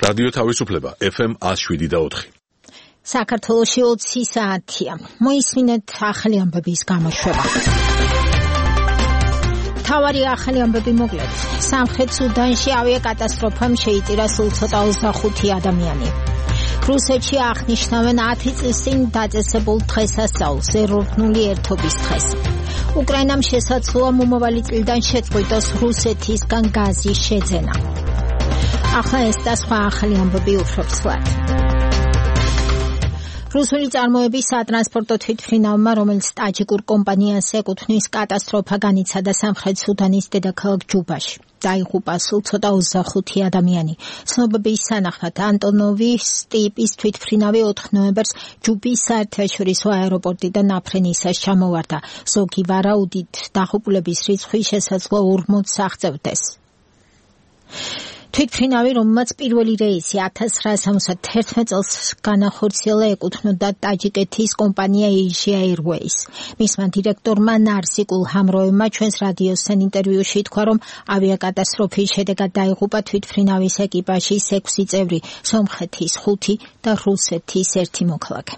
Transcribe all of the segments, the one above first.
რადიო თავისუფლება FM 107.4. საქართველოში 20 საათია. მოისმინეთ ახალი ამბების გამოშვება. თავარი ახალი ამბები მოკლედ. სამხრეთ სუდანში ავიაკატასტროფამ შეიწირა სულ ცოტა 25 ადამიანი. რუსეთში აღნიშნავენ 10 წლის წინ დაწესებულ დღესასწაულს, ეროვნული ერთობის დღეს. უკრაინამ შესაძლოა მომავალი წლიდან შეწყვიტოს რუსეთისგან გაზის შეძენა. ახლა ეს და სხვა ახალი ამბები უფრო ცვლად. რუსული წარმოების სატრანსპორტო თვითმფრინავმა, რომელიც ტაჯიკურ კომპანიას ეკუთვნის, კატასტროფა განიცადა სამხრეთ სუდანის დედაქალაქ ჯუბაში. დაიღუპა სულ ცოტა 25 ადამიანი. ცნობების თანახმად ანტონოვის ტიპის თვითმფრინავი 4 ნოემბერს ჯუბის საერთაშორისო აეროპორტიდან აფრენისას ჩამოვარდა. ზოგი ვარაუდით დაღუპულების რიცხვი შესაძლოა 40-ს აღწევდეს. თვითმფრინავი, რომელმაც პირველი რეისი 1971 წელს განახორციელა, ეკუთვნოდა ტაჯიკეთის კომპანია Asia Airways. მისმა დირექტორმა ნარსიკულ ჰამროევმა ჩვენს რადიოსთან ინტერვიუში თქვა, რომ ავიაკატასტროფის შედეგად დაიღუპა თვითმფრინავის ეკიპაჟის 6 წევრი, სომხეთის 5 და რუსეთის 1 მოქალაქე.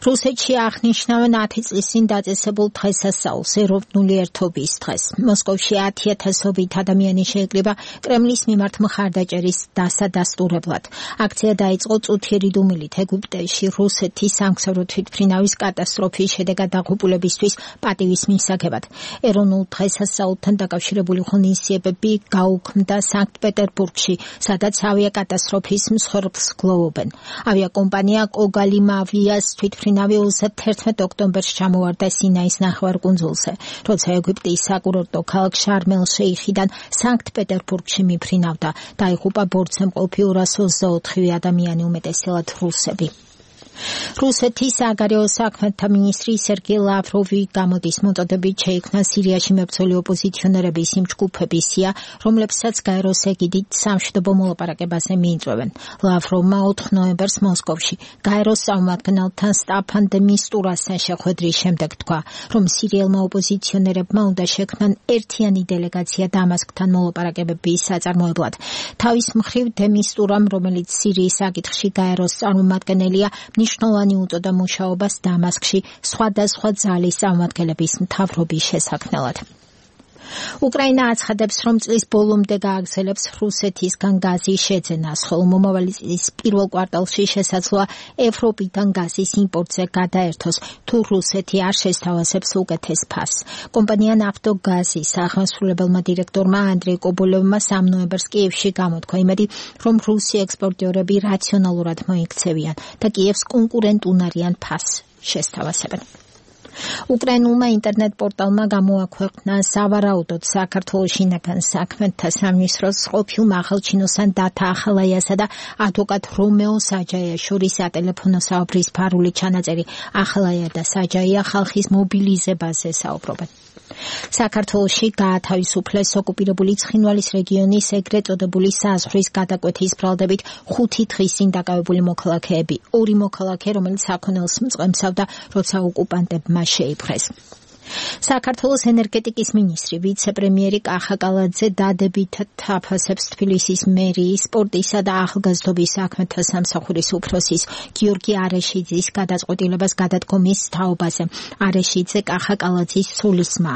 რუსეთში აღნიშნავენ 10 წლის წინ დაწესებულ დღესასწაულს, ეროვნული ერთობის დღეს. მოსკოვში 10,000-ობით ადამიანი შეიკრიბა კრემლის მიმართ მხარდაჭერის დასადასტურებლად. აქცია დაიწყო წუთიერი დუმილით ეგვიპტეში რუსეთის სამგზავრო თვითმფრინავის კატასტროფის შედეგად დაღუპულებისთვის პატივის მისაღებად. ეროვნულ დღესასწაულთან დაკავშირებული ღონისძიებები გაუქმდა სანქტ-პეტერბურგში, სადაც ავიაკატასტროფის მსხვერპლს გლოვობენ. ავიაკომპანია კოგალიმავიას თვითმფრინავი 31 ოქტომბერს ჩამოვარდა სინაის ნახევარკუნძულზე, როცა ეგვიპტის საკურორტო ქალაქ შარმელ-შეიხიდან სანქტ-პეტერბურგში მიფრინავდა. დაიღუპა ბორტზე მყოფი 224 ადამიანი, უმეტესად რუსები. რუსეთის საგარეო საქმეთა მინისტრი სერგეი ლავროვი გამოდის მოწოდებით შეიქმნა სირიაში მებრძოლი ოპოზიციონერების იმ ჯგუფების სია, რომლებსაც გაეროს ეგიდით სამშვიდობო მოლაპარაკებაზე მიიწვევენ. ლავროვმა 4 ნოემბერს მოსკოვში გაეროს წარმომადგენელთან სტაფან დე მისტურასთან შეხვედრის შემდეგ თქვა, რომ სირიელმა ოპოზიციონერებმა უნდა შექმნან ერთიანი დელეგაცია დამასკთან მოლაპარაკებების საწარმოებლად. თავის მხრივ დე მისტურამ, რომელიც სირიის საკითხში გაეროს წარმომადგენელია, ნიშნულოვანი უწოდა მუშაობას დამასკში სხვადასხვა ძალის წარმომადგენლების მთავრობის შესაქმნელად. უკრაინა აცხადებს, რომ წლის ბოლომდე გააგრძელებს რუსეთისგან გაზის შეძენას, ხოლო მომავალი წლის პირველ კვარტალში შესაძლოა ევროპიდან გაზის იმპორტზე გადაერთოს, თუ რუსეთი არ შესთავაზებს უკეთეს ფასს. კომპანია ნაფტოგაზის აღმასრულებელმა დირექტორმა ანდრეი კობოლევმა 3 ნოემბერს კიევში გამოთქვა იმედი, რომ რუსი ექსპორტიორები რაციონალურად მოიქცევიან და კიევს კონკურენტუნარიან ფასს შესთავაზებენ. უკრაინულმა ინტერნეტ პორტალმა გამოაქვეყნა სავარაუდოდ საქართველოს შინაგან საქმეთა სამინისტროს ყოფილ მაღალჩინოსან დათა ახალაიასა და ადვოკატ რომეო საჯაიას შორის სატელეფონო საუბრის ფარული ჩანაწერი. ახალაია და საჯაია ხალხის მობილიზებაზე საუბრობენ. საქართველოში გაათავისუფლეს ოკუპირებული ცხინვალის რეგიონის ეგრეთ წოდებული საზღვრის გადაკვეთის ბრალდებით 5 დღის წინ დაკავებული მოქალაქეები. 2 მოქალაქე, რომელიც საქონელს მწყემსავდა, როცა ოკუპანტებმა შეიპყრეს. საქართველოს ენერგეტიკის მინისტრი ვიცე-პრემიერი კახა კალაძე დადებითად აფასებს თბილისის მერიის, სპორტისა და ახალგაზრდობის საქმეთა სამსახურის უფროსის გიორგი არეშიძის გადაწყვეტილებას გადადგომის თაობაზე. არეშიძე კახა კალაძის სულისმა.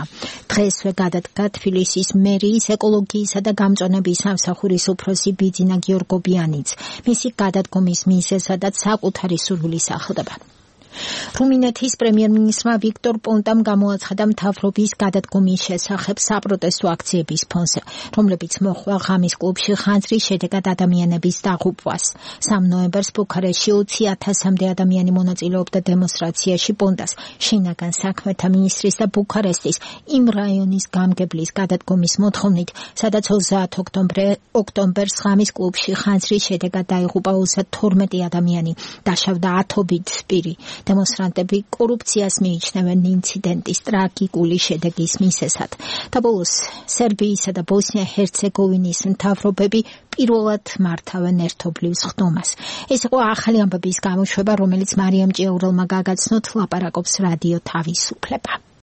დღესვე გადადგა თბილისის მერიის ეკოლოგიისა და გამწვანების სამსახურის უფროსი ბიძინა გიორგობიანიც. მისი გადადგომის მიზეზადაც საკუთარი სურვილის ახლდება. რუმინეთის პრემიერ-მინისტრმა ვიქტორ პონტამ გამოაცხადა მთავრობის გადადგომის შესახებ საპროტესტო აქციების ფონზე, რომლებიც მოჰყვა ღამის კლუბში ხანძრის შედეგად ადამიანების დაღუპვას. 3 ნოემბერს ბუქარესტში 20,000-მდე ადამიანი მონაწილეობდა დემონსტრაციაში პონტას, შინაგან საქმეთა მინისტრის და ბუქარესტის იმ რაიონის გამგებლის გადადგომის მოთხოვნით, სადაც 30 ოქტომბერს ღამის კლუბში ხანძრის შედეგად დაიღუპა 32 ადამიანი, დაშავდა 10-ობით პირი. დემონსტრანტები კორუფციას მიიჩნევენ ინციდენტის ტრაგიკული შედეგის მიზეზად. და ბოლოს სერბიისა და ბოსნია-ჰერცეგოვინის მთავრობები პირველად მართავენ ერთობლივ სხდომას. ეს იყო ახალი ამბების გამოშვება, რომელიც მარიამ ჭიაურელმა გაგაცნოთ, ლაპარაკობს რადიო თავისუფლება.